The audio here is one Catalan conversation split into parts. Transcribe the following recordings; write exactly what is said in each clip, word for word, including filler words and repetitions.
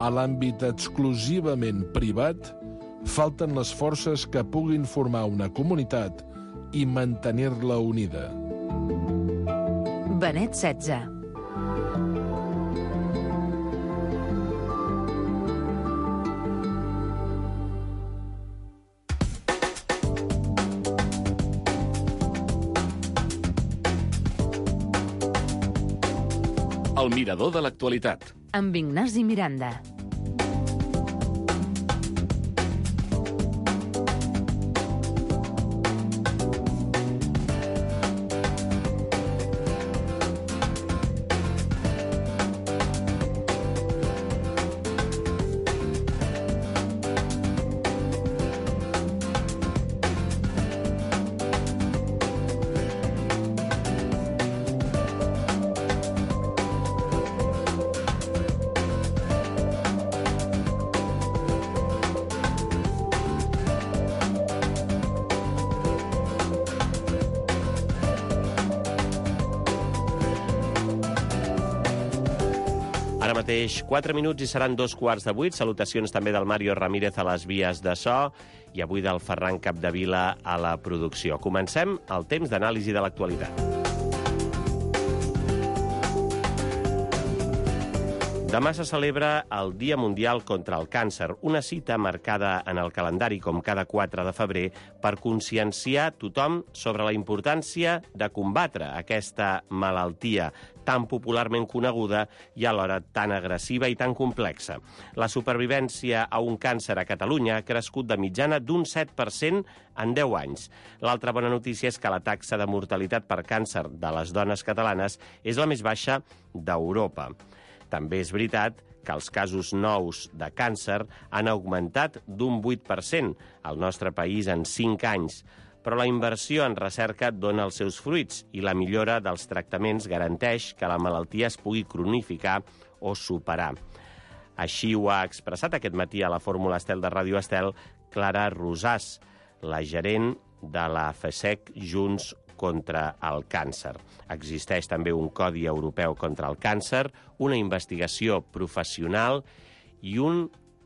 A l'àmbit exclusivament privat, falten les forces que puguin formar una comunitat i mantenir-la unida. Benet setze. El mirador de l'actualitat. Amb Ignasi Miranda. Ara mateix, quatre minuts i seran dos quarts de vuit. Salutacions també del Mario Ramírez a les vies de so i avui del Ferran Capdevila a la producció. Comencem el temps d'anàlisi de l'actualitat. Demà se celebra el Dia Mundial contra el Càncer, una cita marcada en el calendari com cada quatre de febrer per conscienciar tothom sobre la importància de combatre aquesta malaltia tan popularment coneguda i alhora tan agressiva i tan complexa. La supervivència a un càncer a Catalunya ha crescut de mitjana d'un set per cent en deu anys. L'altra bona notícia és que la taxa de mortalitat per càncer de les dones catalanes és la més baixa d'Europa. També és veritat que els casos nous de càncer han augmentat d'un vuit per cent al nostre país en cinc anys, però la inversió en recerca dona els seus fruits i la millora dels tractaments garanteix que la malaltia es pugui cronificar o superar. Així ho ha expressat aquest matí a la Fórmula Estel de Ràdio Estel Clara Rosàs, la gerent de la FESEC Junts contra el càncer. Existeix també un Codi Europeu contra el càncer, una investigació professional i un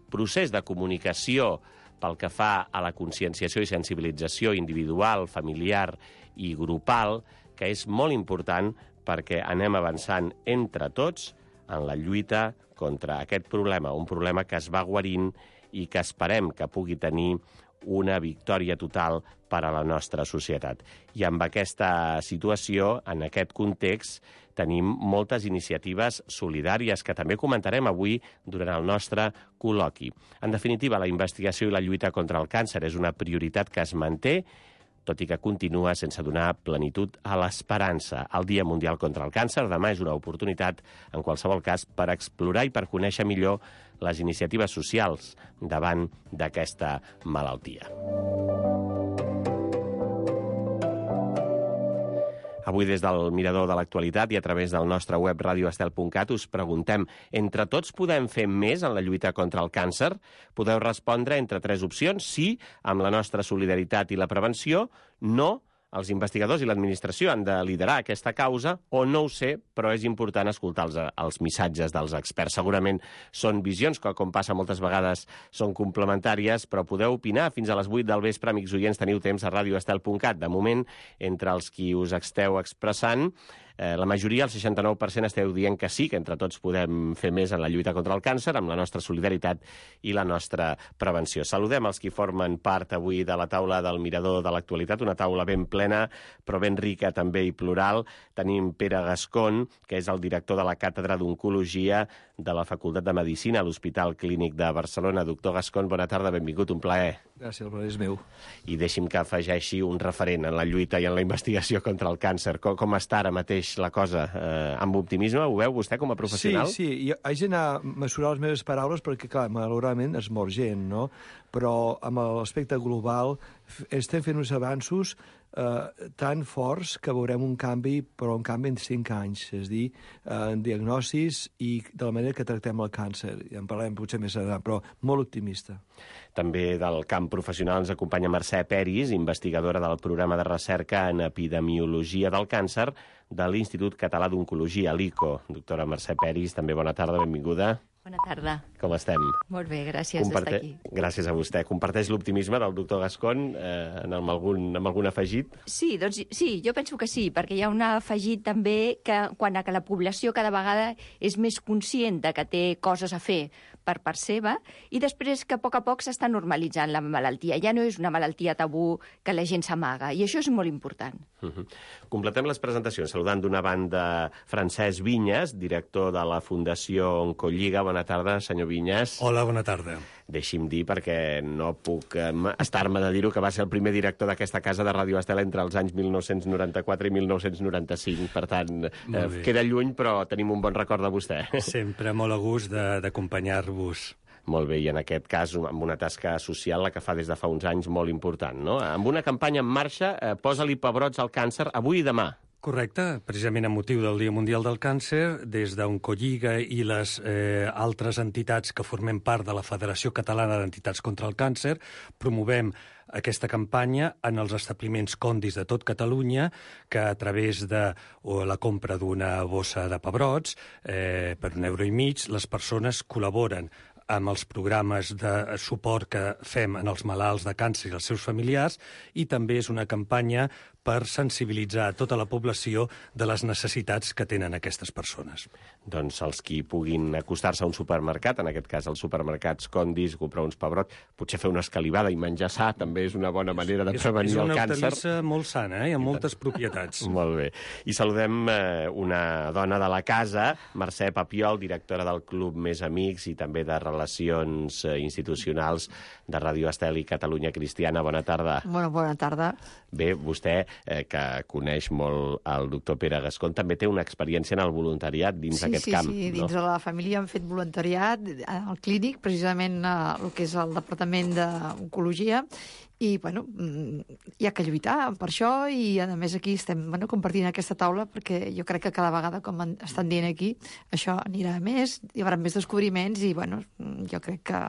procés de comunicació pel que fa a la conscienciació i sensibilització individual, familiar i grupal, que és molt important perquè anem avançant entre tots en la lluita contra aquest problema, un problema que es va guarint i que esperem que pugui tenir una victòria total per a la nostra societat. I amb aquesta situació, en aquest context, tenim moltes iniciatives solidàries que també comentarem avui durant el nostre col·loqui. En definitiva, la investigació i la lluita contra el càncer és una prioritat que es manté, tot i que continua sense donar plenitud a l'esperança. El Dia Mundial contra el Càncer demà és una oportunitat, en qualsevol cas, per explorar i per conèixer millor les iniciatives socials davant d'aquesta malaltia. Avui, des del mirador de l'actualitat i a través del nostre web radioestel punt cat, us preguntem: entre tots podem fer més en la lluita contra el càncer? Podeu respondre entre tres opcions: sí, amb la nostra solidaritat i la prevenció; no, els investigadors i l'administració han de liderar aquesta causa; o no ho sé, però és important escoltar els, els missatges dels experts. Segurament són visions que, com passa moltes vegades, són complementàries, però podeu opinar fins a les vuit del vespre. Amics oients, teniu temps a radioestel punt cat. De moment, entre els qui us esteu expressant, eh, la majoria, el seixanta-nou per cent, esteu dient que sí, que entre tots podem fer més en la lluita contra el càncer, amb la nostra solidaritat i la nostra prevenció. Saludem els qui formen part avui de la taula del mirador de l'actualitat, una taula ben plena, però ben rica també i plural. Tenim Pere Gascón, que és el director de la Càtedra d'Oncologia de la Facultat de Medicina a l'Hospital Clínic de Barcelona. Doctor Gascón, bona tarda, benvingut, un plaer. Gràcies, el plaer és meu. I deixi'm que afegeixi un referent en la lluita i en la investigació contra el càncer. Com, com està ara mateix la cosa? Eh, amb optimisme, ho veu vostè com a professional? Sí, sí, jo haig d'anar a mesurar les meves paraules perquè, clar, malauradament es mor gent, no? Però amb l'aspecte global estem fent uns avanços eh, tan forts que veurem un canvi, però un canvi en cinc anys, és a dir, eh, en diagnosis i de la manera que tractem el càncer. Ja en parlarem potser més endavant, però molt optimista. També del camp professional ens acompanya Mercè Peris, investigadora del programa de recerca en epidemiologia del càncer de l'Institut Català d'Oncologia, l'I C O. Doctora Mercè Peris, també bona tarda, benvinguda. Bona tarda. Com estem? Molt bé, gràcies Comparte... d'estar aquí. Gràcies a vostè. Comparteix l'optimisme del doctor Gascon eh, amb, algun, amb algun afegit? Sí, doncs sí, jo penso que sí, perquè hi ha un afegit també que quan a que la població cada vegada és més conscient de que té coses a fer per part seva i després que a poc a poc s'està normalitzant la malaltia. Ja no és una malaltia tabú que la gent s'amaga i això és molt important. Uh -huh. Completem les presentacions saludant d'una banda Francesc Vinyes, director de la Fundació Oncolliga. Bona tarda, senyor Vinyes. Hola, bona tarda. Deixi'm dir, perquè no puc eh, estar-me de dir-ho, que va ser el primer director d'aquesta casa de Ràdio Estel entre els anys mil nou-cents noranta-quatre i mil nou-cents noranta-cinc. Per tant, eh, queda lluny, però tenim un bon record de vostè. Sempre molt a gust d'acompanyar-vos. Molt bé, i en aquest cas amb una tasca social la que fa des de fa uns anys molt important, no? Amb una campanya en marxa, eh, posa-li pebrots al càncer avui i demà. Correcte, precisament amb motiu del Dia Mundial del Càncer, des d'Oncolliga i les eh, altres entitats que formem part de la Federació Catalana d'Entitats contra el Càncer, promovem aquesta campanya en els establiments Condis de tot Catalunya, que a través de o la compra d'una bossa de pebrots, eh, per un euro i mig, les persones col·laboren amb els programes de suport que fem en els malalts de càncer i els seus familiars, i també és una campanya per sensibilitzar tota la població de les necessitats que tenen aquestes persones. Doncs els qui puguin acostar-se a un supermercat, en aquest cas als supermercats Condis, comprar uns pebrots, potser fer una escalivada i menjar sa també és una bona manera de prevenir el càncer. És una hortalissa molt sana, eh? Amb moltes propietats. Molt bé. I saludem eh, una dona de la casa, Mercè Papiol, directora del Club Més Amics i també de Relacions eh, Institucionals de Ràdio Estel i Catalunya Cristiana. Bona tarda. Bona, bona tarda. Bé, vostè, eh, que coneix molt el doctor Pere Gascon, també té una experiència en el voluntariat dins sí, aquest sí, camp. Sí, sí, no? dins de la família hem fet voluntariat al clínic, precisament eh, el que és el Departament d'Oncologia, i, bueno, hi ha que lluitar per això, i, a més, aquí estem bueno, compartint aquesta taula, perquè jo crec que cada vegada, com estan dient aquí, això anirà més, hi haurà més descobriments, i, bueno, jo crec que...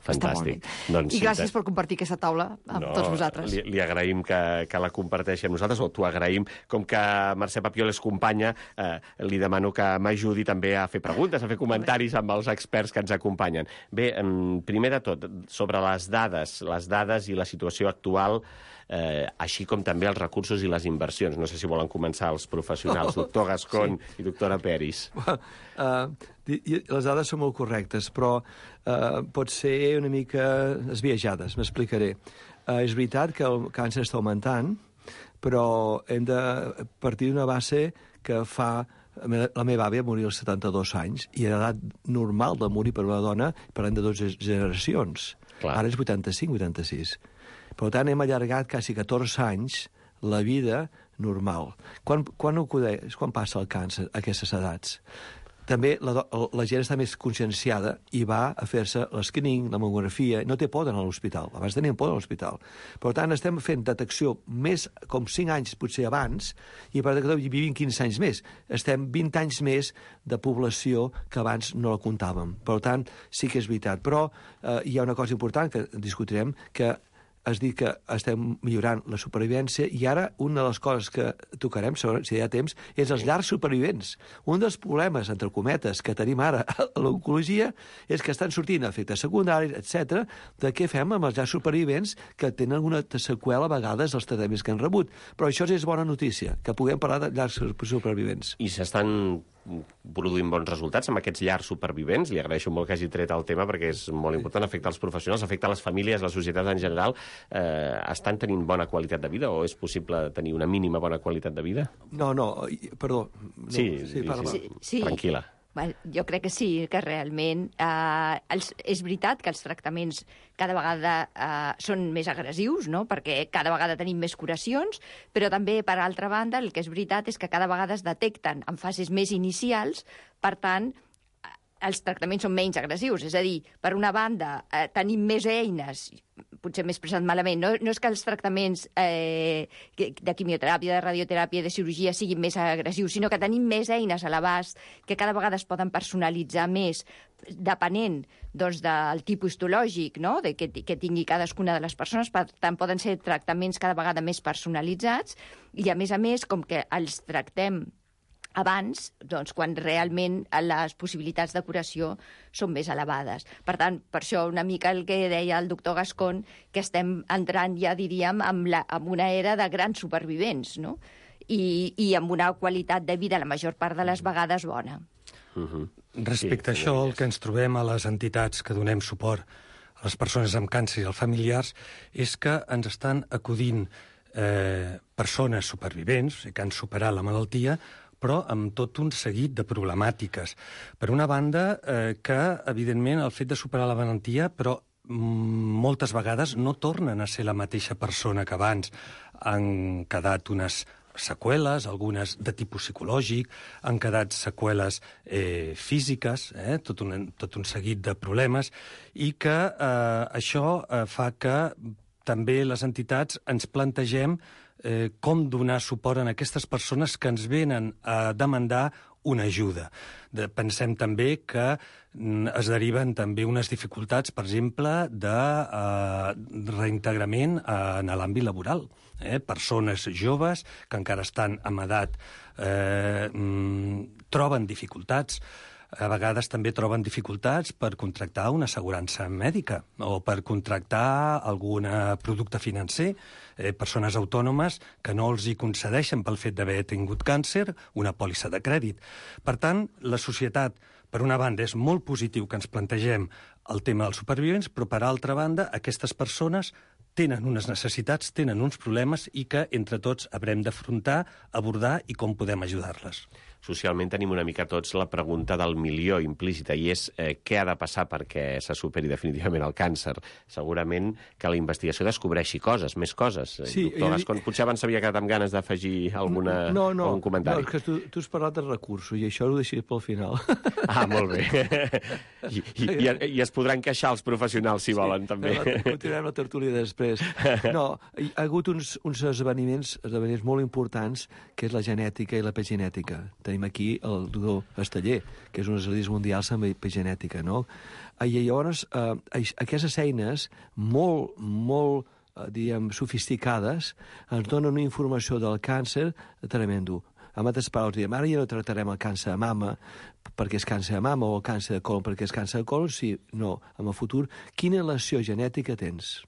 Fantàstic. Doncs, I gràcies per compartir aquesta taula amb no, tots vosaltres. Li, li agraïm que, que la comparteixi amb nosaltres, o t'ho agraïm. Com que Mercè Papiol és companya, eh, li demano que m'ajudi també a fer preguntes, a fer comentaris amb els experts que ens acompanyen. Bé, primer de tot, sobre les dades, les dades i la situació actual, eh, així com també els recursos i les inversions. No sé si volen començar els professionals, oh, doctor Gascon sí. i doctora Peris. Uh, les dades són molt correctes, però uh, pot ser una mica esbiaixades, m'explicaré. Uh, és veritat que el càncer està augmentant, però hem de partir d'una base que fa... La meva àvia morir als setanta-dos anys i a l'edat normal de morir per una dona parlem de dues generacions. Clar. Ara és vuitanta-cinc vuitanta-sis. Per tant, hem allargat quasi catorze anys la vida normal. Quan, quan, acudeix, quan passa el càncer a aquestes edats? També la, la gent està més conscienciada i va a fer-se l'escreening, la mamografia, no té por d'anar a l'hospital. Abans tenien por a l'hospital. Per tant, estem fent detecció més com cinc anys, potser abans, i per tant vivim quinze anys més. Estem vint anys més de població que abans no la comptàvem. Per tant, sí que és veritat. Però eh, hi ha una cosa important que discutirem, que es dir que estem millorant la supervivència, i ara una de les coses que tocarem, si hi ha temps, és els llars supervivents. Un dels problemes, entre cometes, que tenim ara a l'oncologia és que estan sortint efectes secundaris, etcètera, de què fem amb els llars supervivents que tenen alguna seqüela a vegades dels tractaments que han rebut. Però això és bona notícia, que puguem parlar de llars supervivents. I s'estan produint bons resultats amb aquests llars supervivents. Li agraeixo molt que hagi tret el tema perquè és molt important, afecta els professionals, afecta les famílies, la societat en general. Eh, estan tenint bona qualitat de vida o és possible tenir una mínima bona qualitat de vida? No, no, perdó. No, sí, sí, parla. Sí, sí. Tranquil·la. Jo crec que sí, que realment eh, els, és veritat que els tractaments cada vegada eh, són més agressius, no? Perquè cada vegada tenim més curacions, però també, per altra banda, el que és veritat és que cada vegada es detecten en fases més inicials, per tant, els tractaments són menys agressius. És a dir, per una banda, eh, tenim més eines, potser m'he expressat malament, no, no és que els tractaments eh, de quimioteràpia, de radioteràpia, de cirurgia siguin més agressius, sinó que tenim més eines a l'abast que cada vegada es poden personalitzar més, depenent doncs, del tipus histològic, no? de que, que tingui cadascuna de les persones. Per tant, poden ser tractaments cada vegada més personalitzats i, a més a més, com que els tractem abans, doncs, quan realment les possibilitats de curació són més elevades. Per tant, per això una mica el que deia el doctor Gascón, que estem entrant ja, diríem, en, la, en una era de grans supervivents, no? I, i amb una qualitat de vida la major part de les vegades bona. Uh-huh. Respecte sí, a això, el que ens trobem a les entitats que donem suport a les persones amb càncer i als familiars és que ens estan acudint eh, persones supervivents que han superat la malaltia, però amb tot un seguit de problemàtiques. Per una banda, eh, que, evidentment, el fet de superar la malaltia, però moltes vegades no tornen a ser la mateixa persona que abans. Han quedat unes seqüeles, algunes de tipus psicològic, han quedat seqüeles eh, físiques, eh, tot, un, tot un seguit de problemes, i que eh, això eh, fa que també les entitats ens plantegem eh, com donar suport a aquestes persones que ens venen a demandar una ajuda. De, pensem també que mm, es deriven també unes dificultats, per exemple, de eh, reintegrament eh, en l'àmbit laboral. Eh? Persones joves que encara estan en edat eh, mm, troben dificultats. A vegades també troben dificultats per contractar una assegurança mèdica o per contractar algun producte financer. Eh, persones autònomes que no els hi concedeixen pel fet d'haver tingut càncer una pòlissa de crèdit. Per tant, la societat, per una banda, és molt positiu que ens plantegem el tema dels supervivents, però per altra banda, aquestes persones tenen unes necessitats, tenen uns problemes i que entre tots haurem d'afrontar, abordar i com podem ajudar-les. Socialment tenim una mica tots la pregunta del milió implícita, i és eh, què ha de passar perquè se superi definitivament el càncer. Segurament que la investigació descobreixi coses, més coses. Sí, Doctor Gascón, potser abans s'havia quedat amb ganes d'afegir alguna, no, no, algun comentari. No, és que tu, tu has parlat de recursos, i això ho deixaré pel final. Ah, molt bé. I, i, i, I es podran queixar els professionals, si sí, volen, també. La, continuem la tertúlia després. No, hi ha hagut uns, uns esdeveniments, esdeveniments molt importants, que és la genètica i la epigenètica. Tenim aquí el doctor Esteller, que és un especialista mundial en epigenètica, no? I llavors, eh, aquestes eines molt, molt, eh, diguem, sofisticades, ens donen una informació del càncer tremendo. Amb altres paraules, diem, ara ja no tractarem el càncer de mama perquè és càncer de mama o el càncer de colon perquè és càncer de colon, sí, no, en el futur, quina relació genètica tens?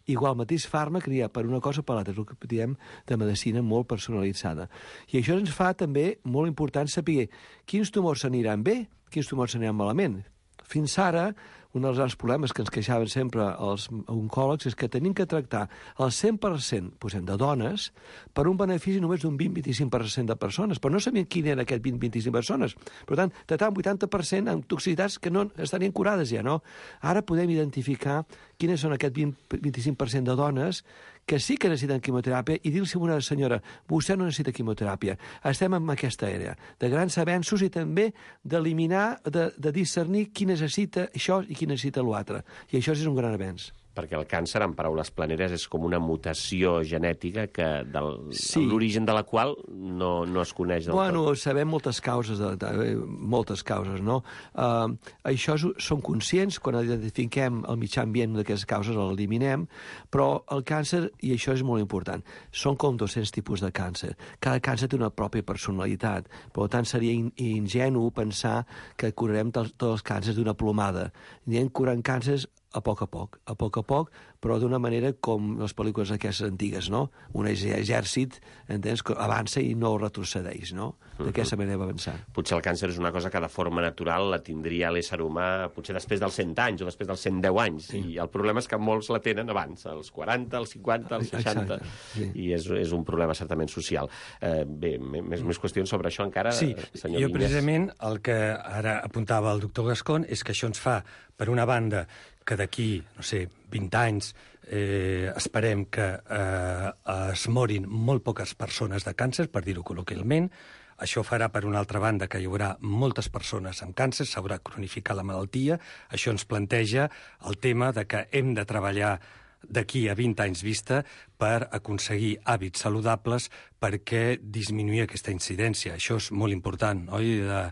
Igual mateix fàrmac que hi ha per una cosa o per l'altra, és el que diem de medicina molt personalitzada. I això ens fa també molt important saber quins tumors s'aniran bé, quins tumors s'aniran malament. Fins ara, un dels grans problemes que ens queixaven sempre els oncòlegs és que tenim que tractar el cent per cent, posem, de dones per un benefici només d'un vint a vint-i-cinc per cent de persones, però no sabien quin era aquest vint a vint-i-cinc persones. Per tant, tractar un vuitanta per cent amb toxicitats que no estarien curades ja, no? Ara podem identificar quines són aquest vint a vint-i-cinc per cent de dones que sí que necessiten quimioteràpia i dir-los a una senyora, vostè no necessita quimioteràpia. Estem en aquesta àrea de grans avenços i també d'eliminar, de, de discernir qui necessita això i qui necessita l'altre. I això és un gran avenç. Perquè el càncer, en paraules planeres, és com una mutació genètica que del, sí. l'origen de la qual no, no es coneix del bueno, tot. Bueno, sabem moltes causes, de, de, moltes causes, no? Uh, això és, som conscients, quan identifiquem el mitjà ambient d'aquestes causes, l'eliminem, però el càncer, i això és molt important, són com dos-cents tipus de càncer. Cada càncer té una pròpia personalitat, per tant seria in, ingenu pensar que curarem tots els càncers d'una plomada. Anem curant càncers a poc a poc, a poc a poc, però d'una manera com les pel·lícules aquestes antigues, no? Un exèrcit, entens, que avança i no retrocedeix, no? D'aquesta manera va avançar. Potser el càncer és una cosa que de forma natural la tindria l'ésser humà potser després dels cent anys o després dels cent deu anys, sí. I el problema és que molts la tenen abans, als quaranta, als cinquanta, als seixanta, sí. I és, és un problema certament social. Eh, bé, més, més qüestions sobre això encara, sí, senyor jo Vinyes. Precisament el que ara apuntava el doctor Gascón és que això ens fa, per una banda, que d'aquí, no sé, vint anys, eh, esperem que eh, es morin molt poques persones de càncer, per dir-ho col·loquialment. Això farà, per una altra banda, que hi haurà moltes persones amb càncer, s'haurà cronificat la malaltia. Això ens planteja el tema de que hem de treballar d'aquí a vint anys vista per aconseguir hàbits saludables perquè disminuir aquesta incidència. Això és molt important, oi? De,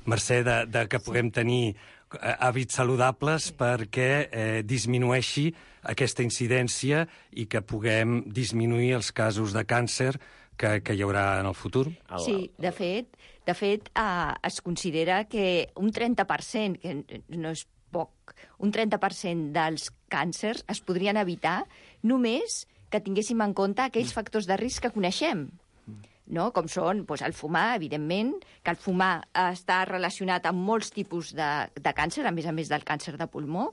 mercè de, de que puguem tenir hàbits saludables perquè eh, disminueixi aquesta incidència i que puguem disminuir els casos de càncer que, que hi haurà en el futur. Sí, de fet, de De fet, eh, es considera que un trenta per cent, que no és poc, un trenta per cent dels càncers es podrien evitar només que tinguéssim en compte aquells factors de risc que coneixem, no? Com són doncs, el fumar, evidentment, que el fumar està relacionat amb molts tipus de, de càncer, a més a més del càncer de pulmó,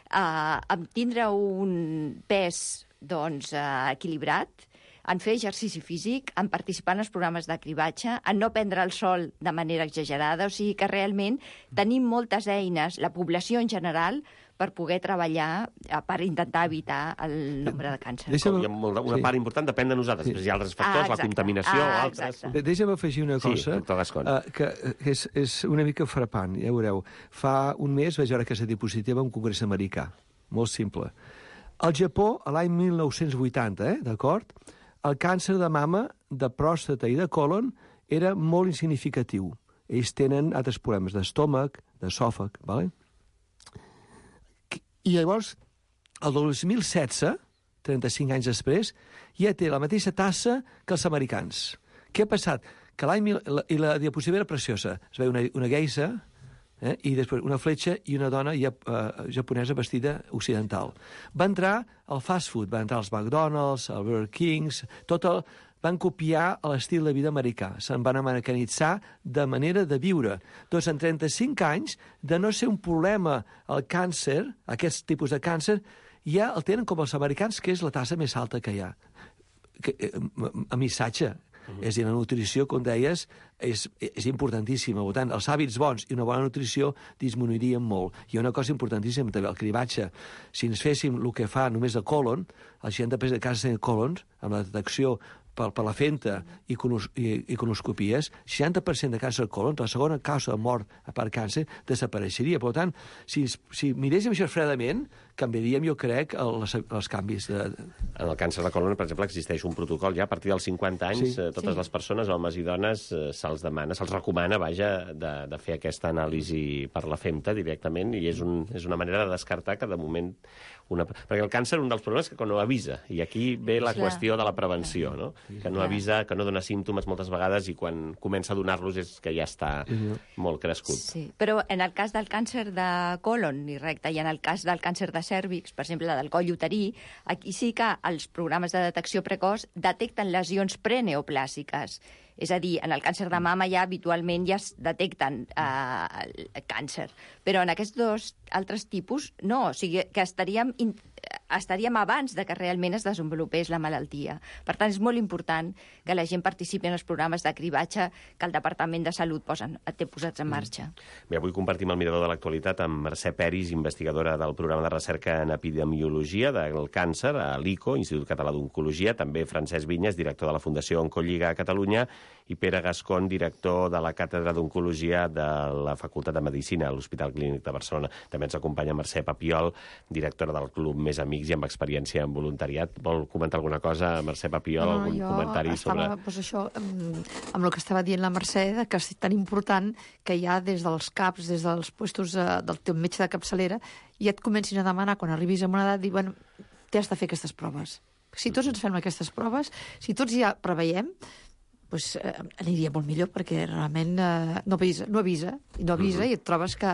eh, amb tindre un pes doncs, eh, equilibrat, en fer exercici físic, en participar en els programes de cribatge, en no prendre el sol de manera exagerada, o sigui que realment tenim moltes eines, la població en general, per poder treballar per intentar evitar el nombre de càncer. Deixa'm... Una sí. part important depèn de nosaltres, sí. Hi ha altres factors, ah, la contaminació ah, o altres... De Deixa'm afegir una cosa sí, uh, que és, és una mica frapant, ja veureu. Fa un mes vaig veure aquesta diapositiva en un congrés americà, molt simple. Al Japó, a l'any mil nou-cents vuitanta, eh, d'acord, el càncer de mama, de pròstata i de còlon era molt insignificatiu. Ells tenen altres problemes d'estómac, d'esòfag, d'acord? I llavors, el dos mil setze, trenta-cinc anys després, ja té la mateixa tassa que els americans. Què ha passat? Que l'any mil... I la diapositiva era preciosa. Es veia una, una geisa, eh? I després una fletxa i una dona ja, uh, japonesa vestida occidental. Va entrar al fast food, va entrar als McDonald's, al Burger Kings, tot el... van copiar l'estil de vida americà, se'n van americanitzar de manera de viure. Doncs en trenta-cinc anys, de no ser un problema el càncer, aquest tipus de càncer, ja el tenen com els americans, que és la tassa més alta que hi ha. Que, a missatge. Uh-huh. És a dir, la nutrició, com deies, és, és importantíssima. Per tant, els hàbits bons i una bona nutrició disminuirien molt. Hi ha una cosa importantíssima també, el cribatge. Si ens féssim el que fa només de còlon, el seixanta per cent de casos de còlons, amb la detecció per, per la fenta i, conos, i, i conoscopies, seixanta per cent de càncer de còlon, la segona causa de mort per càncer, desapareixeria. Per tant, si, si miréssim això fredament, canviaríem, jo crec, els, els canvis. De... En el càncer de còlon, per exemple, existeix un protocol ja a partir dels cinquanta anys, sí. totes sí. les persones, homes i dones, se'ls demana, se'ls recomana, vaja, de, de fer aquesta anàlisi per la femta directament, i és, un, és una manera de descartar que de moment... Una... Perquè el càncer, un dels problemes és que no avisa, i aquí ve la Clar. qüestió de la prevenció, no? Que no avisa, que no dona símptomes moltes vegades, i quan comença a donar-los és que ja està molt crescut. Sí, però en el cas del càncer de còlon i recte, i en el cas del càncer de cèrvix, per exemple, del coll uterí, aquí sí que els programes de detecció precoç detecten lesions preneoplàsiques. És a dir, en el càncer de mama ja habitualment ja es detecten eh, el càncer. Però en aquests dos altres tipus, no. O sigui, que estaríem, estaríem abans de que realment es desenvolupés la malaltia. Per tant, és molt important que la gent participi en els programes de cribatge que el Departament de Salut posen, té posats en marxa. Bé, avui compartim el mirador de l'actualitat amb Mercè Peris, investigadora del programa de recerca en epidemiologia del càncer a l'I C O, Institut Català d'Oncologia, també Francesc Vinyes, director de la Fundació Oncolliga a Catalunya, i Pere Gascon, director de la Càtedra d'Oncologia de la Facultat de Medicina a l'Hospital Clínic de Barcelona. També ens acompanya Mercè Papiol, directora del Club Més Amics i amb experiència en voluntariat. Vol comentar alguna cosa, Mercè Papiol? No, algun jo comentari estava, sobre... Doncs això, amb, amb el que estava dient la Mercè, que és tan important que ja des dels CAPs, des dels puestos eh, del teu metge de capçalera, ja et comencin a demanar, quan arribis a una edat, dir, bueno, t'has de fer aquestes proves. Si tots ens fem aquestes proves, si tots ja preveiem, pues, eh, aniria molt millor, perquè realment eh, no avisa, no avisa, i no avisa, uh-huh. i et trobes que,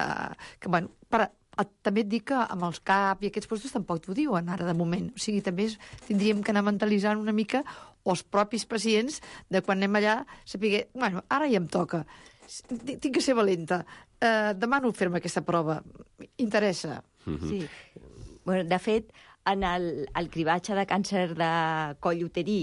que bueno, per, a, també et dic que amb els CAP i aquests puestos tampoc t'ho diuen ara de moment. O sigui, també és, tindríem que anar mentalitzant una mica els propis pacients de quan anem allà, saber, bueno, ara ja em toca, tinc que ser valenta, eh, demano fer-me aquesta prova, interessa. Uh-huh. Sí. Bueno, de fet, en el, el cribatge de càncer de coll uterí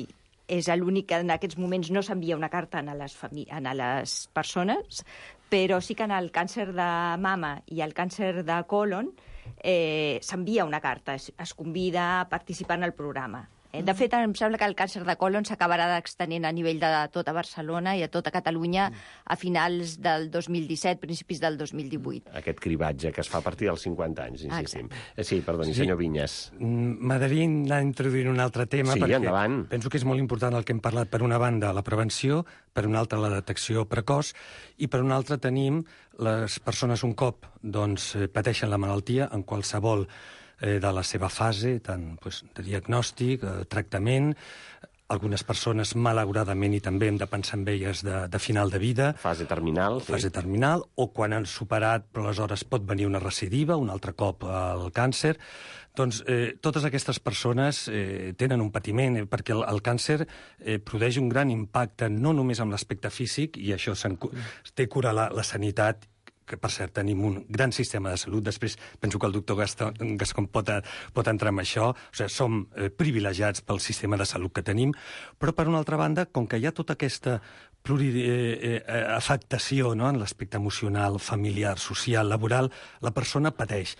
és l'únic que en aquests moments no s'envia una carta a les, a les persones, però sí que en el càncer de mama i el càncer de còlon eh, s'envia una carta, es, es convida a participar en el programa. Eh? De fet, em sembla que el càncer de còlon s'acabarà extenent a nivell de tota Barcelona i a tota Catalunya a finals del dos mil disset, principis del dos mil divuit. Aquest cribatge que es fa a partir dels cinquanta anys, insistim. Eh, sí, perdoni, sí. senyor Vinyes. M'agradaria anar introduint un altre tema, sí, perquè endavant. Penso que és molt important el que hem parlat. Per una banda, la prevenció, per una altra, la detecció precoç, i per una altra tenim les persones un cop doncs, pateixen la malaltia en qualsevol de la seva fase, tant pues, de diagnòstic, eh, tractament, algunes persones, malauradament, i també hem de pensar en elles de, de final de vida. Fase terminal. Fase sí. terminal, o quan han superat, però aleshores pot venir una recidiva, un altre cop el càncer. Doncs eh, totes aquestes persones eh, tenen un patiment, eh, perquè el, el càncer eh, produeix un gran impacte no només amb l'aspecte físic, i això té cura la, la sanitat, que per cert tenim un gran sistema de salut. Després penso que el doctor Gascon, Gascon pot, pot entrar en això. O sigui, som eh, privilegiats pel sistema de salut que tenim, però per una altra banda, com que hi ha tota aquesta pluriafectació, no?, en l'aspecte emocional, familiar, social, laboral, la persona pateix.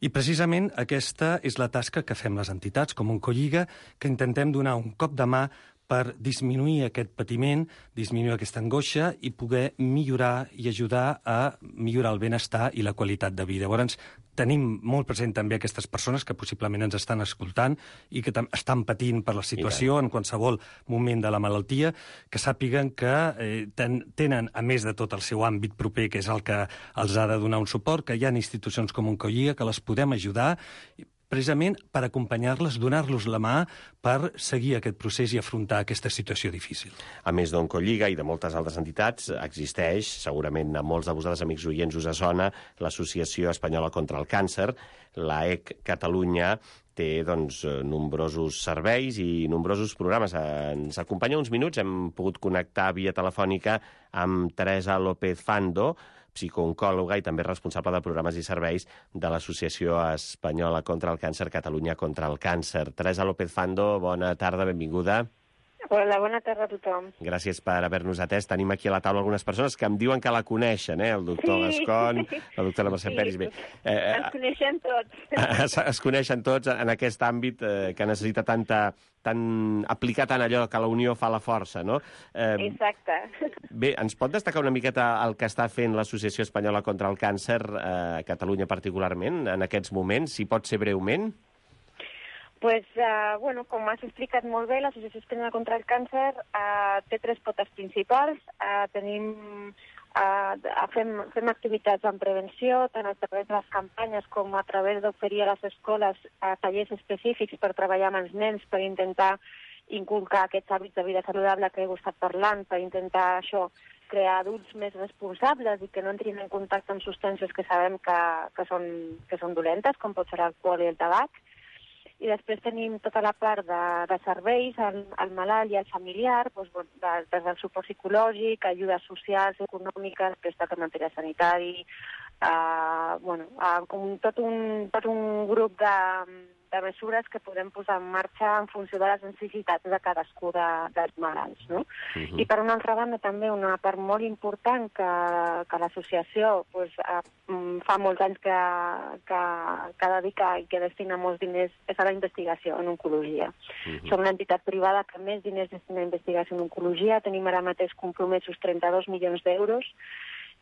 I precisament aquesta és la tasca que fem les entitats, com Oncolliga, que intentem donar un cop de mà per disminuir aquest patiment, disminuir aquesta angoixa i poder millorar i ajudar a millorar el benestar i la qualitat de vida. Llavors, tenim molt present també aquestes persones que possiblement ens estan escoltant i que estan patint per la situació en qualsevol moment de la malaltia, que sàpiguen que eh, ten, tenen, a més de tot el seu àmbit proper, que és el que els ha de donar un suport, que hi ha institucions com Oncolliga que les podem ajudar precisament per acompanyar-les, donar-los la mà per seguir aquest procés i afrontar aquesta situació difícil. A més d'Oncolliga i de moltes altres entitats, existeix, segurament a molts de vosaltres, amics oients, us sona, l'Associació Espanyola contra el Càncer. L'A E C Catalunya té doncs, nombrosos serveis i nombrosos programes. Ens acompanya uns minuts, hem pogut connectar via telefònica amb Teresa López Fando, psicooncòloga i també responsable de programes i serveis de l'Associació Espanyola contra el Càncer, Catalunya contra el Càncer. Teresa López Fando, bona tarda, benvinguda. Hola, bona tarda a tothom. Gràcies per haver-nos atès. Tenim aquí a la taula algunes persones que em diuen que la coneixen, eh? El doctor sí. Gascon, la doctora Mercè sí. Peris. Bé, eh, ens coneixem tots. Es, es coneixen tots en aquest àmbit eh, que necessita tanta... Tan, aplicar tant allò que la unió fa la força, no? Eh, Exacte. Bé, ens pot destacar una miqueta el que està fent l'Associació Espanyola contra el Càncer, eh, a Catalunya particularment, en aquests moments, si pot ser breument? Pues, uh, bueno, com has explicat molt bé, l'Associació Espanyola contra el Càncer uh, té tres potes principals. Uh, tenim... Uh, fem, fem activitats en prevenció, tant a través de les campanyes com a través d'oferir a les escoles uh, tallers específics per treballar amb els nens, per intentar inculcar aquests hàbits de vida saludable que heu estat parlant, per intentar això, crear adults més responsables i que no entrin en contacte amb substàncies que sabem que, que, són, que són dolentes, com pot ser l'alcohol i el tabac. I després tenim tota la part de, de serveis al, al malalt i al familiar, doncs, de, des del suport psicològic, ajudes socials, econòmiques, prestat de material sanitari, eh, bueno, eh, com tot un, tot un grup de, de mesures que podem posar en marxa en funció de les necessitats de cadascú de, dels malalts, no? Uh-huh. I per una altra banda també una part molt important que, que l'associació pues, eh, fa molts anys que, que, que dedica i que destina molts diners és a la investigació en oncologia. Uh-huh. Som una entitat privada que més diners destina a investigació en oncologia, tenim ara mateix compromesos trenta-dos milions d'euros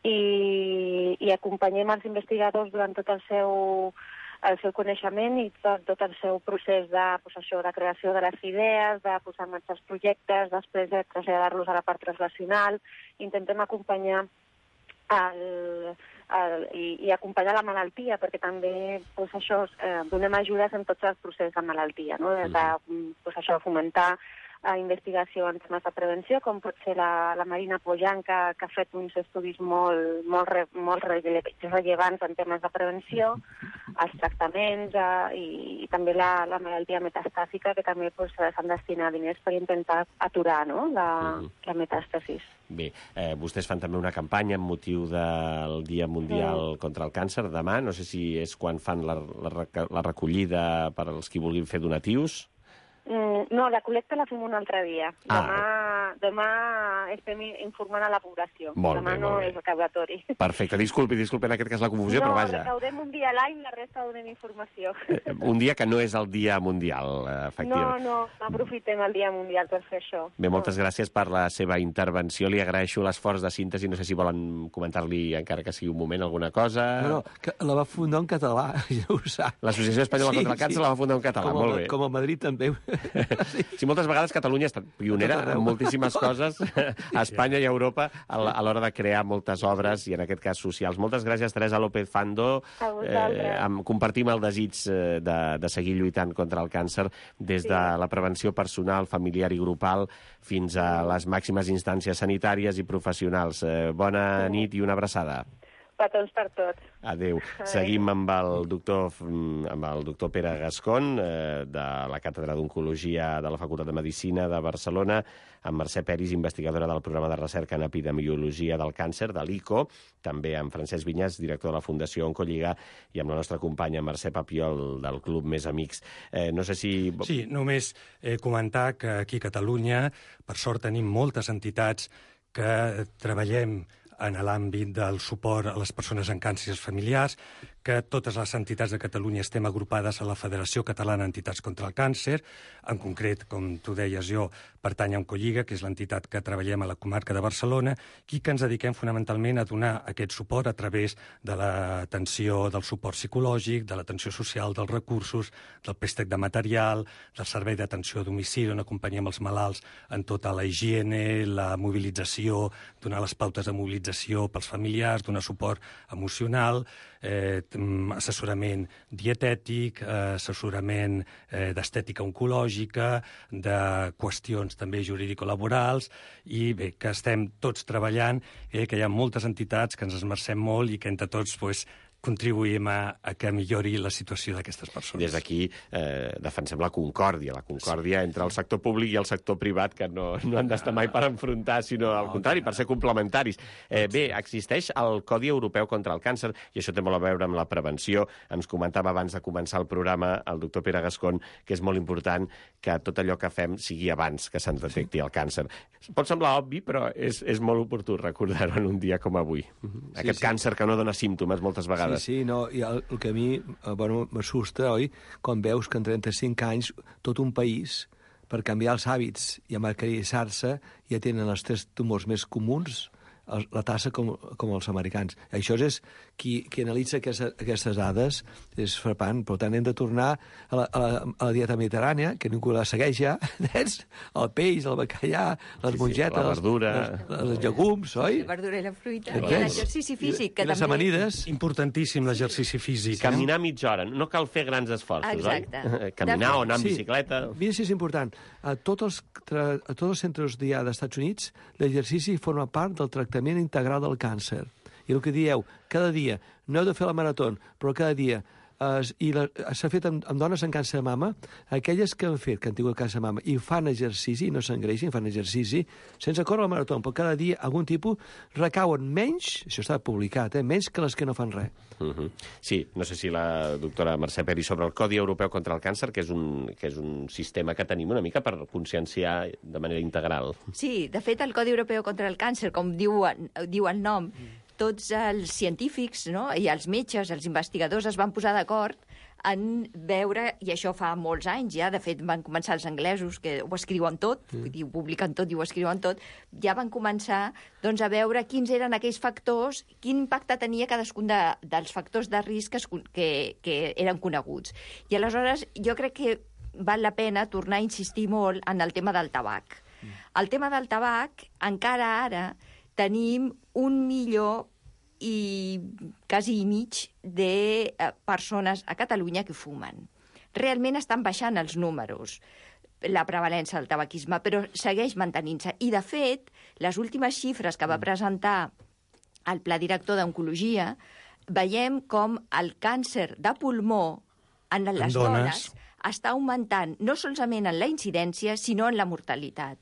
i, i acompanyem els investigadors durant tot el seu el seu coneixement i tot, tot el seu procés de, pues, això, de creació de les idees, de posar en marxa els projectes, després de traslladar-los a la part translacional. Intentem acompanyar el, el, i, i acompanyar la malaltia, perquè també pues, això, eh, donem ajudes en tots els processos de malaltia, no? Des de pues, això, fomentar a investigació en temes de prevenció, com pot ser la, la Marina Pojan, que, que ha fet uns estudis molt, molt, re, molt rellevants en temes de prevenció, els tractaments eh, i, i també la, la malaltia metastàsica, que també pues, s'han destinat diners per intentar aturar, no?, la, uh-huh. la metàstasis. Bé, eh, vostès fan també una campanya amb motiu del Dia Mundial sí. contra el Càncer demà. No sé si és quan fan la, la, la recollida per als qui vulguin fer donatius. Mm, no, la col·lecta la fem un altre dia. Ah. Demà, demà estem informant a la població. Molt demà bé, no molt és recaudatori. Perfecte, disculpi, disculpi en aquest cas la confusió, no, però vaja. No, recaudem un dia a l'any, la resta donem informació. Eh, un dia que no és el Dia Mundial, efectivament. No, no, aprofitem el Dia Mundial per fer això. Bé, moltes no. gràcies per la seva intervenció. Li agraeixo l'esforç de síntesi. No sé si volen comentar-li, encara que sigui un moment, alguna cosa. No, no, que la va fundar en català, ja ho sap. L'Associació Espanyola sí, contra el Càncer sí. la va fundar en català, com molt bé. Com a Madrid també. sí. sí, moltes vegades Catalunya ha estat pionera en moltíssimes moltíssimes coses a Espanya i a Europa a l'hora de crear moltes obres i, en aquest cas, socials. Moltes gràcies, Teresa López Fando. Eh, amb, compartim el desig de, de seguir lluitant contra el càncer des de la prevenció personal, familiar i grupal fins a les màximes instàncies sanitàries i professionals. Eh, bona nit i una abraçada. Petons per tots. Adéu. Seguim amb el doctor, amb el doctor Pere Gascon, eh, de la Càtedra d'Oncologia de la Facultat de Medicina de Barcelona, amb Mercè Peris, investigadora del programa de recerca en epidemiologia del càncer, de l'I C O, també amb Francesc Vinyas, director de la Fundació Oncolliga, i amb la nostra companya Mercè Papiol, del Club Més Amics. Eh, no sé si... Sí, només eh, comentar que aquí a Catalunya, per sort, tenim moltes entitats que treballem en l'àmbit del suport a les persones amb càncers familiars, que totes les entitats de Catalunya estem agrupades a la Federació Catalana d'Entitats contra el Càncer. En concret, com tu deies, jo pertany a Oncolliga, que és l'entitat que treballem a la comarca de Barcelona, i que ens dediquem fonamentalment a donar aquest suport a través de l'atenció del suport psicològic, de l'atenció social, dels recursos, del préstec de material, del servei d'atenció a domicili, on acompanyem els malalts en tota la higiene, la mobilització, donar les pautes de mobilització pels familiars, donar suport emocional, eh, assessorament dietètic, eh, assessorament eh, d'estètica oncològica, de qüestions també jurídico-laborals, i bé, que estem tots treballant, eh, que hi ha moltes entitats que ens esmercem molt i que entre tots pues, contribuïm a, a que millori la situació d'aquestes persones. Des d'aquí eh, defensem la concòrdia, la concòrdia sí. entre el sector públic i el sector privat, que no, no han d'estar mai per enfrontar, sinó al contrari, per ser complementaris. Eh, bé, existeix el Codi Europeu contra el Càncer, i això té molt a veure amb la prevenció. Ens comentava abans de començar el programa el doctor Pere Gascon que és molt important que tot allò que fem sigui abans que se'ns detecti el càncer. Pot semblar obvi, però és, és molt oportú recordar-ho en un dia com avui. Aquest sí, sí. càncer que no dona símptomes moltes vegades. Sí, sí, no, i el, el que a mi eh, bueno, m'assusta, oi? Quan veus que en trenta-cinc anys tot un país, per canviar els hàbits i amarcarissar-se, ja tenen els tres tumors més comuns, el, la tassa com, com els americans. Això és qui, qui analitza aquesta, aquestes dades, és frapant. Per tant, hem de tornar a la, a la, a la dieta mediterrània, que ningú la segueix ja, el peix, el bacallà, les sí, mongetes, sí, la verdura, els, els llegums, oi? La verdura i la fruita, i l'exercici físic. Que I les també... amanides. Importantíssim l'exercici físic. Caminar mitja hora, no cal fer grans esforços, Exacte. oi? Caminar o anar en sí. bicicleta. Mira si és important. A tots els, a tots els centres d'I A dels Estats Units, l'exercici forma part del tractament integral del càncer. I el que dieu, cada dia, no heu de fer la marató, però cada dia, eh, i s'ha fet amb, amb dones amb càncer de mama, aquelles que han fet, que han tingut càncer de mama, i fan exercici, no s'engreixin, fan exercici, sense córrer la marató, però cada dia algun tipus recauen menys, això està publicat, eh, menys que les que no fan res. Uh -huh. Sí, no sé si la doctora Mercè Peris sobre el Codi Europeu contra el Càncer, que és, un, que és un sistema que tenim una mica per conscienciar de manera integral. Sí, de fet, el Codi Europeu contra el Càncer, com diu, diu el nom, tots els científics, no? I els metges, els investigadors es van posar d'acord en veure, i això fa molts anys ja, de fet van començar els anglesos, que ho escriuen tot, mm. vull dir, ho publiquen tot i ho escriuen tot, ja van començar doncs, a veure quins eren aquells factors, quin impacte tenia cadascun de, dels factors de risc que, que, que eren coneguts. I aleshores jo crec que val la pena tornar a insistir molt en el tema del tabac. Mm. El tema del tabac, encara ara, tenim un milió i quasi i mig de eh, persones a Catalunya que fumen. Realment estan baixant els números, la prevalença del tabaquisme, però segueix mantenint-se. I, de fet, les últimes xifres que va presentar el Pla Director d'Oncologia, veiem com el càncer de pulmó en les en dones. dones està augmentant no solament en la incidència, sinó en la mortalitat.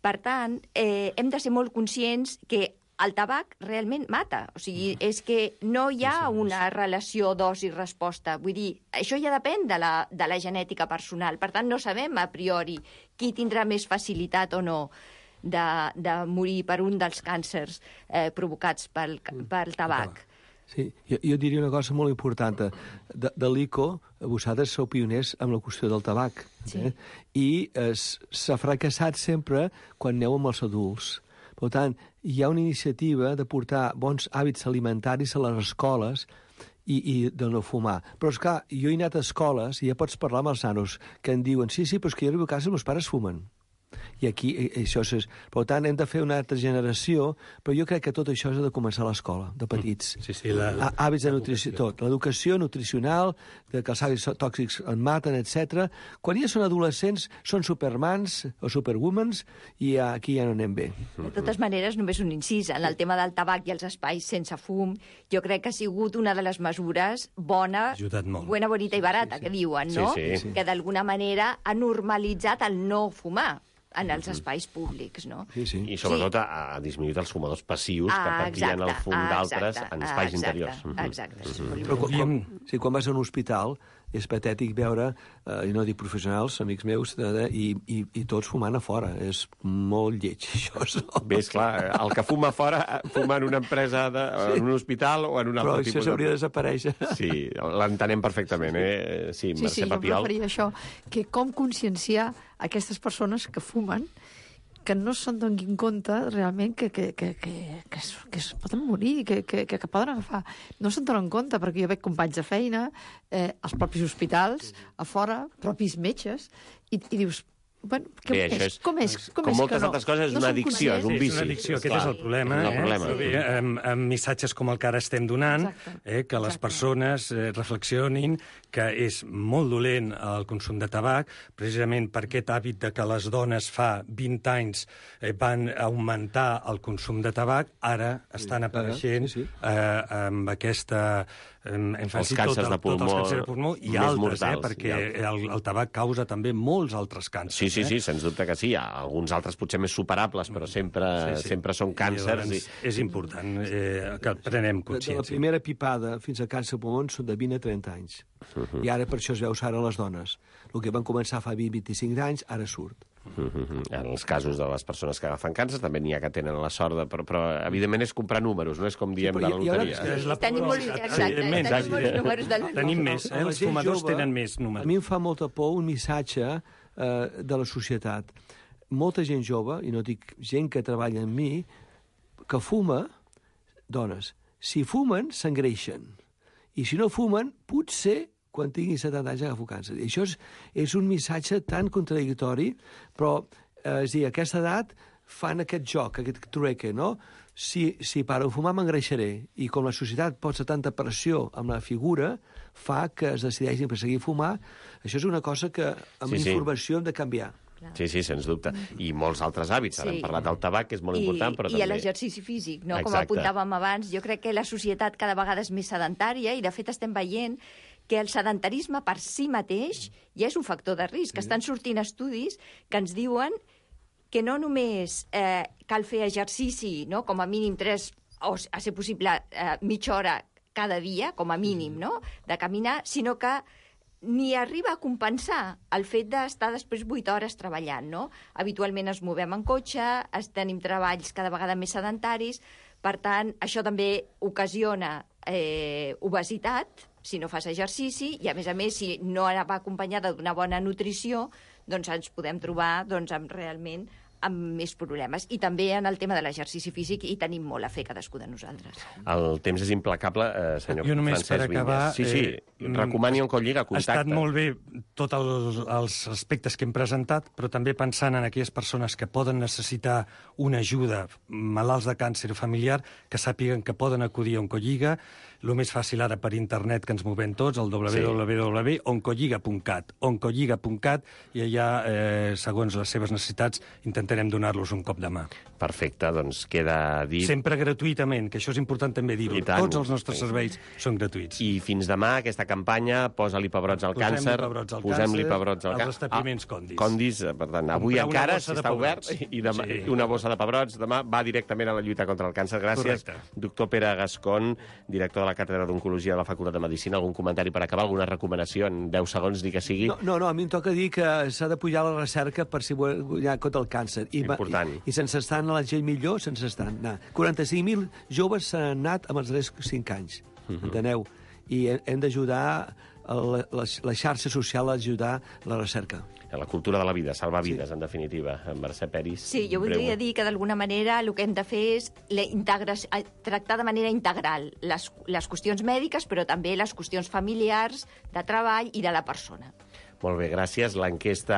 Per tant, eh, hem de ser molt conscients que el tabac realment mata. O sigui, és que no hi ha una relació dosi-resposta. Vull dir, això ja depèn de la, de la genètica personal. Per tant, no sabem a priori qui tindrà més facilitat o no de, de morir per un dels càncers eh, provocats pel, pel tabac. Sí, jo, jo diria una cosa molt important. De, de l'I C O, vosaltres sou pioners amb la qüestió del tabac. Sí. Eh? I s'ha fracassat sempre quan aneu amb els adults. Per tant, hi ha una iniciativa de portar bons hàbits alimentaris a les escoles i, i de no fumar. Però, esclar, jo he anat a escoles i ja pots parlar amb els nanos que em diuen sí, sí, però és que jo arribo a casa i els meus pares fumen. I aquí i, i això és... Per tant, hem de fer una altra generació, però jo crec que tot això ha de començar a l'escola, de petits. Sí, sí, la, la, hàbits de nutrició, tot. L'educació nutricional, que els hàbits tòxics en maten, etcètera. Quan ja són adolescents, són supermans o superwomans, i aquí ja no anem bé. De totes maneres, només un incís. En el tema del tabac i els espais sense fum, jo crec que ha sigut una de les mesures bona, buena, bonita i barata, sí, sí. que diuen, no? Sí, sí. Que d'alguna manera ha normalitzat el no fumar en els espais públics, no? Sí, sí. I sobretot sí. ha, ha disminuït els fumadors passius ah, que patien el fum ah, d'altres en espais exacte, interiors. Exacte. Mm-hmm. Però quan, sí, quan vas a un hospital és patètic veure, eh, i no dic professionals, amics meus, eh, i, i, i tots fumant a fora. És molt lleig, això. No? Bé, esclar, el que fuma a fora fuma en una empresa, de, sí. en un hospital o en un altre Però tipus... Però això s'hauria de desaparèixer. Sí, l'entenem perfectament, eh? Sí, sí, sí, jo Papiol. em referia a això, que com conscienciar aquestes persones que fumen que no se'n donin compte realment que, que, que, que, que, es, que es poden morir, que, que, que, que poden agafar. No se'n donen compte, perquè jo veig companys de feina, eh, als propis hospitals, a fora, propis metges, i, i dius, bueno, què Bé, és? és? Com és? Com com és moltes que no? altres coses, és no una addicció, és un vici. És una addicció, aquest és el problema. És el eh? problema. Però bé, amb, amb missatges com el que ara estem donant, eh, que les Exacte. persones eh, reflexionin que és molt dolent el consum de tabac, precisament per aquest hàbit de que les dones fa vint anys eh, van augmentar el consum de tabac, ara estan apareixent sí, sí. eh, amb aquesta... Hem, hem Els càncers de pulmó, tots els càncers de pulmó i més altres, mortals, eh, perquè i el, el tabac causa també molts altres càncers. Sí, sí, eh? sí, sens dubte que sí. Hi ha alguns altres potser més superables, però sempre, sí, sí. sempre són càncers. I, i... És important eh, que prenem consciència. De la primera pipada fins a càncer de pulmó són de vint a trenta anys. Uh -huh. I ara per això es veu ara les dones. El que van començar fa vint a vint-i-cinc anys, ara surt. Uh -huh. En els casos de les persones que agafen càncer també n'hi ha que tenen la sort de... Però, però evidentment és comprar números, no és com diem sí, de la loteria. Ara... Tenim molts, exacte, tenim molts números de loteria. Tenim més, eh? Els fumadors jove, tenen més números. A mi em fa molta por un missatge eh, de la societat. Molta gent jove, i no dic gent que treballa amb mi, que fuma, dones, si fumen, s'engreixen. I si no fumen, potser quan tinguin setanta anys agafo càncer. I això és, és un missatge tan contradictori, però, eh, és a dir, a aquesta edat fan aquest joc, aquest trueque, no? Si, si paro de fumar m'engreixaré. I com la societat posa tanta pressió amb la figura, fa que es decideixin per seguir fumar. Això és una cosa que amb sí, sí. informació hem de canviar. Sí, sí, sens dubte. I molts altres hàbits. Ara Sí. hem parlat del tabac, que és molt I, important, però i també... I l'exercici físic, no? Exacte. Com apuntàvem abans, jo crec que la societat cada vegada és més sedentària i, de fet, estem veient que el sedentarisme per si mateix ja és un factor de risc. Estan sortint estudis que ens diuen que no només eh, cal fer exercici, no? Com a mínim tres, o a ser possible eh, mitja hora cada dia, com a mínim, no? De caminar, sinó que ni arriba a compensar el fet d'estar després vuit hores treballant, no? Habitualment ens movem en cotxe, es tenim treballs cada vegada més sedentaris, per tant, això també ocasiona eh, obesitat, si no fas exercici, i a més a més, si no va acompanyada d'una bona nutrició, doncs ens podem trobar doncs, amb realment amb més problemes. I també en el tema de l'exercici físic hi tenim molt a fer cadascú de nosaltres. El temps és implacable, eh, senyor jo només Francesc per acabar, Vinyes. Sí, sí, eh, recomani un Colliga, contacte. Ha estat molt bé tots el, els aspectes que hem presentat, però també pensant en aquelles persones que poden necessitar una ajuda, malalts de càncer familiar, que sàpiguen que poden acudir a Oncolliga. El més fàcil ara per internet, que ens movem tots, el w w w punt oncolliga punt cat, oncolliga punt cat, i allà, eh, segons les seves necessitats, intentarem donar-los un cop de mà. Perfecte, doncs queda dit... Sempre gratuïtament, que això és important també dir-ho. Tots els nostres serveis són gratuïts. I fins demà, aquesta campanya, posa-li pebrots al Posem càncer, pebrots al posem-li càncer, pebrots al als càncer. establiments Condis. Condis, per tant, avui Comprar una encara, bossa si de està obert, pebrots. i demà, Sí. una bossa de pebrots, demà va directament a la lluita contra el càncer. Gràcies, Correcte. doctor Pere Gascon, director de la Càtedra d'Oncologia de la Facultat de Medicina. Algun comentari per acabar? Alguna recomanació en deu segons, ni que sigui? No, no, no, a mi em toca dir que s'ha de pujar la recerca per si guanyar contra el càncer. I, Important. I, i sense estar en la gent millor, sense estar... No. quaranta-cinc mil joves s'han anat en els darrers cinc anys, uh -huh. enteneu? I hem d'ajudar, la, la, la xarxa social a ajudar la recerca. La cultura de la vida, salvar vides, sí. En definitiva. En Mercè Peris. Sí, jo voldria dir que d'alguna manera el que hem de fer és la integració, tractar de manera integral les, les qüestions mèdiques, però també les qüestions familiars, de treball i de la persona. Molt bé, gràcies. L'enquesta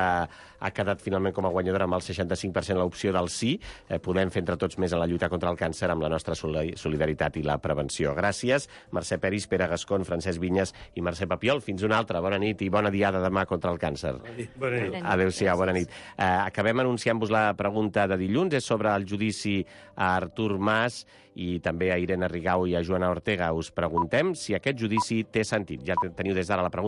ha quedat finalment com a guanyadora amb el seixanta-cinc per cent l'opció del sí. Eh, podem fer entre tots més en la lluita contra el càncer amb la nostra solidaritat i la prevenció. Gràcies, Mercè Peris, Pere Gascon, Francesc Vinyes i Mercè Papiol. Fins una altra. Bona nit i bona diada demà contra el càncer. Bona nit. Adéu-siau, bona nit. Eh, acabem anunciant-vos la pregunta de dilluns. És sobre el judici a Artur Mas i també a Irene Rigau i a Joana Ortega. Us preguntem si aquest judici té sentit. Ja teniu des d'ara la pregunta